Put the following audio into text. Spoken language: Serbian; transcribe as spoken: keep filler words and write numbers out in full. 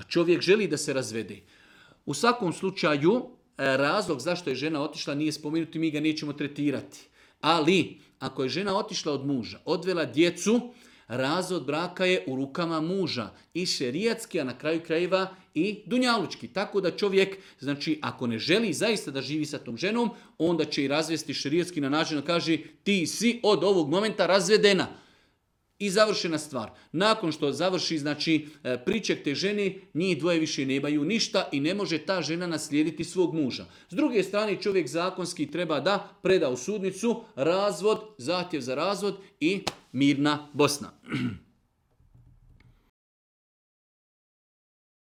čovjek želi da se razvede. U svakom slučaju, razlog zašto je žena otišla nije spomenuti, mi ga nećemo tretirati. Ali, ako je žena otišla od muža, odvela djecu, razvod braka je u rukama muža. I šerijatski, a na kraju krajeva i dunjalučki. Tako da čovjek, znači, ako ne želi zaista da živi sa tom ženom, onda će i razvesti šerijatski na način da kaže ti si od ovog momenta razvedena. I završena stvar. Nakon što završi, znači, priček te žene, njih dvoje više nemaju ništa i ne može ta žena naslijediti svog muža. S druge strane, čovjek zakonski treba da preda u sudnicu razvod, zahtjev za razvod i mirna Bosna.